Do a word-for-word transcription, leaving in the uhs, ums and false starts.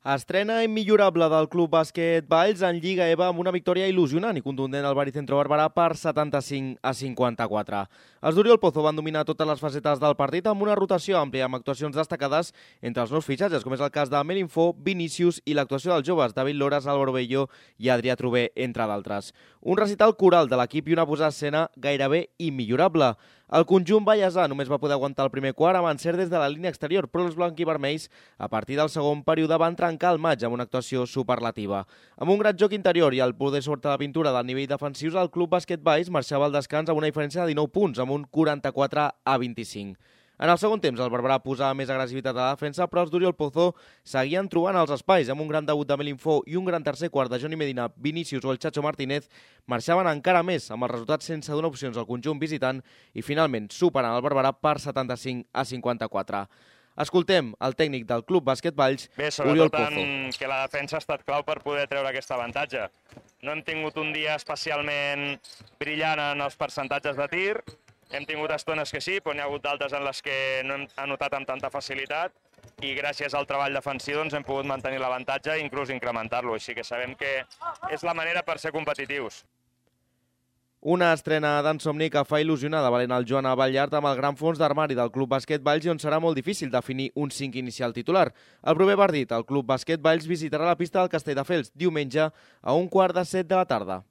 Estrena immillorable del Club Bàsquet Valls en Lliga EVA amb una victòria il·lusionant i contundent al Baricentro Barberà per setanta-cinc a cinquanta-quatre. Els d'Oriol Pozo van dominar totes les facetes del partit amb una rotació àmplia amb actuacions destacades entre els nous fitxatges, com és el cas de Melinfo, Vinícius i l'actuació dels joves David Loras, Álvaro Bello i Adrià Trové, entre d'altres. Un recital coral de l'equip i una posada a escena gairebé immillorable. El conjunt vallesà només va poder aguantar el primer quart amb encert des de la línia exterior, però els blanquivermells, a partir del segon període, van trencar el maig amb una actuació superlativa. Amb un gran joc interior i el poder sobre la pintura del nivell defensius, el Club Bàsquet Valls marxava al descans amb una diferència de dinou punts, amb un quaranta-quatre a vint-i-cinc. En el segon temps, el Barberà posava més agressivitat a la defensa, però els d'Oriol Pozo seguien trobant els espais. Amb un gran debut de Melinfo i un gran tercer quart de Johnny Medina, Vinícius o el Chacho Martínez, marxaven encara més, amb els resultats sense donar opcions al conjunt visitant i finalment superen el Barberà per setanta-cinc a cinquanta-quatre. Escoltem el tècnic del Club Bàsquet Valls, Bé, Oriol sobretot Pozo. en que la defensa ha estat clau per poder treure aquest avantatge. No hem tingut un dia especialment brillant en els percentatges de tir. Hem tingut estones que sí, però n'hi ha hagut d'altres en les que no hem anotat amb tanta facilitat i gràcies al treball defensiu doncs, hem pogut mantenir l'avantatge i inclús incrementar-lo. Així que sabem que és la manera per ser competitius. Una estrena d'en Somni que fa il·lusionar de valent el Joan Avallart amb el gran fons d'armari del Club Bàsquet Valls i on serà molt difícil definir un cinc inicial titular. El proper partit, el Club Bàsquet Valls visitarà la pista del Castelldefels diumenge a un quart de set de la tarda.